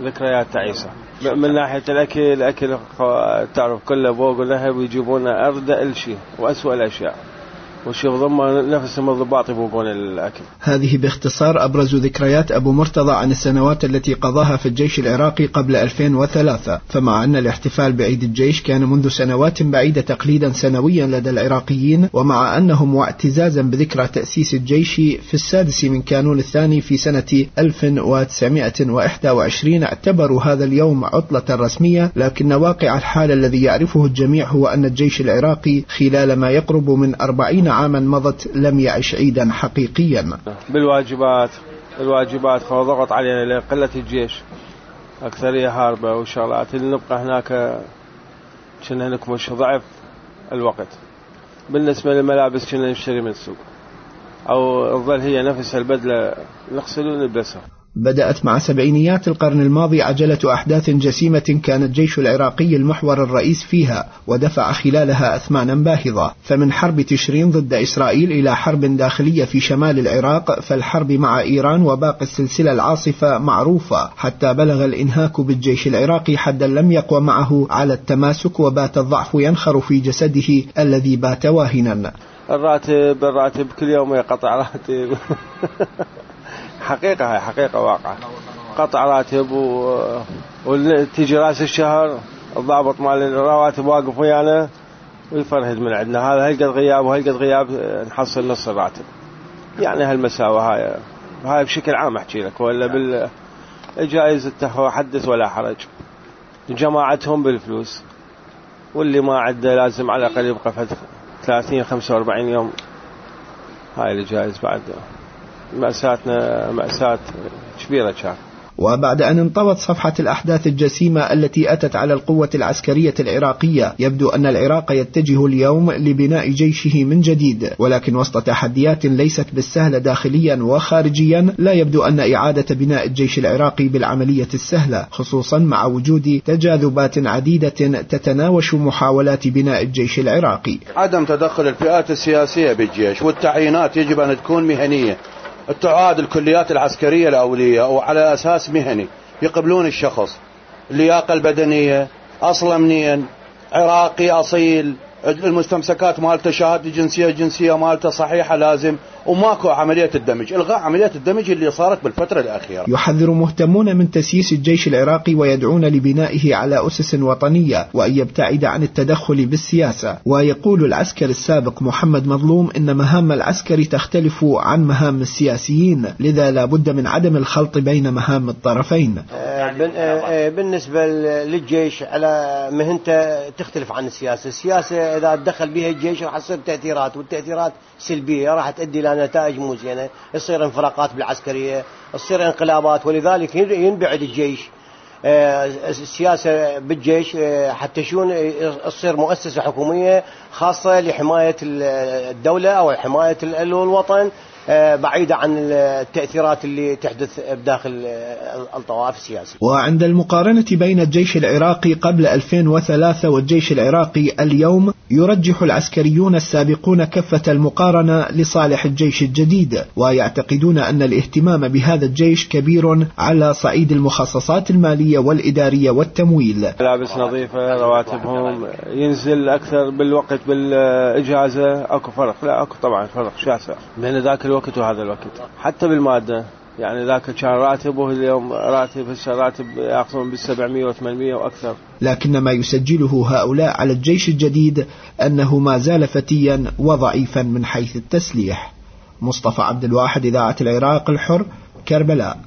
ذكريات تعيسة. من ناحية الأكل تعرف كله بوق ولهب ويجيبون أردأ شيء وأسوأ الأشياء، وشيء ضمن نفسهم الضباط يبوقون الأكل. هذه باختصار أبرز ذكريات أبو مرتضى عن السنوات التي قضاها في الجيش العراقي قبل 2003. فمع أن الاحتفال بعيد الجيش كان منذ سنوات بعيدة تقليدا سنويا لدى العراقيين، ومع أنهم واعتزازا بذكرى تأسيس الجيش في 6 من كانون الثاني في سنة 1921 اعتبروا هذا اليوم عطلة رسمية، لكن واقع الحال الذي يعرفه الجميع هو أن الجيش العراقي خلال ما يقرب من 40 عاما مضت لم يعش عيدا حقيقيا. بالواجبات فضغط علينا لقلة الجيش، أكثرية هاربة وشغلات اللي نبقى هناك كنا نكمش ضعف الوقت. بالنسبة للملابس كنا نشتري من السوق أو تظل هي نفس البدلة نغسل ونلبسها. بدأت مع سبعينيات القرن الماضي عجلة أحداث جسيمة كان الجيش العراقي المحور الرئيس فيها، ودفع خلالها أثمانا باهظة، فمن حرب تشرين ضد إسرائيل إلى حرب داخلية في شمال العراق، فالحرب مع إيران وباقي السلسلة العاصفة معروفة، حتى بلغ الإنهاك بالجيش العراقي حدا لم يقوى معه على التماسك، وبات الضعف ينخر في جسده الذي بات واهنا. الراتب كل يوم يقطع راتب حقيقة، هاي حقيقة واقعة، قطع راتب وتيجي راس الشهر الضابط مال الرواتب واقف ويانا ويفرهد من عندنا، هذا هلقد غياب وهلقد غياب نحصل نص الراتب. يعني هالمساوة هاي بشكل عام أحكي لك، ولا بالجائزة التهوى حدث ولا حرج. جماعتهم بالفلوس، واللي ما عنده لازم على الأقل يبقى 30-45 يوم. هاي الجائزة بعد مأساتنا مأساة كبيرة كان. وبعد أن انطوت صفحة الأحداث الجسيمة التي أتت على القوة العسكرية العراقية، يبدو أن العراق يتجه اليوم لبناء جيشه من جديد، ولكن وسط تحديات ليست بالسهلة داخليا وخارجيا، لا يبدو أن إعادة بناء الجيش العراقي بالعملية السهلة، خصوصا مع وجود تجاذبات عديدة تتناوش محاولات بناء الجيش العراقي. عدم تدخل الفئات السياسية بالجيش، والتعيينات يجب أن تكون مهنية، تعاد الكليات العسكرية الأولية وعلى أساس مهني، يقبلون الشخص، اللياقة البدنية، أصل منين، عراقي أصيل، المستمسكات مالته شهادة جنسية مالته صحيحة لازم، وماكو عملية الدمج، إلغاء عملية الدمج اللي صارت بالفترة الأخيرة. يحذر مهتمون من تسييس الجيش العراقي ويدعون لبنائه على أسس وطنية، وأن يبتعد عن التدخل بالسياسة. ويقول العسكري السابق محمد مظلوم إن مهام العسكري تختلف عن مهام السياسيين، لذا لا بد من عدم الخلط بين مهام الطرفين. بالنسبة للجيش على مهنته تختلف عن السياسة. السياسة إذا تدخل بها الجيش راح تصير تأثيرات، والتأثيرات سلبية راح تؤدي إلى نتائج مو زينة، تصير انفراقات بالعسكرية، تصير انقلابات، ولذلك ينبعد الجيش. السياسة بالجيش حتى شون تصير مؤسسة حكومية خاصة لحماية الدولة أو حماية الوطن، بعيدة عن التأثيرات اللي تحدث بداخل الطوائف السياسية. وعند المقارنة بين الجيش العراقي قبل 2003 والجيش العراقي اليوم، يرجح العسكريون السابقون كفة المقارنة لصالح الجيش الجديد، ويعتقدون أن الاهتمام بهذا الجيش كبير على صعيد المخصصات المالية والإدارية والتمويل. ملابس نظيفة، رواتبهم ينزل أكثر بالوقت بالإجازة، أكو فرق؟ لا أكو طبعا فرق شاسع بين ذاك الوقت وهذا الوقت، حتى بالمادة. يعني ذاك كان راتب واليوم راتب، هسه راتب يأخذون بال700 و800 وأكثر. لكن ما يسجله هؤلاء على الجيش الجديد أنه ما زال فتيا وضعيفا من حيث التسليح. مصطفى عبد الواحد، إذاعة العراق الحر، كربلاء.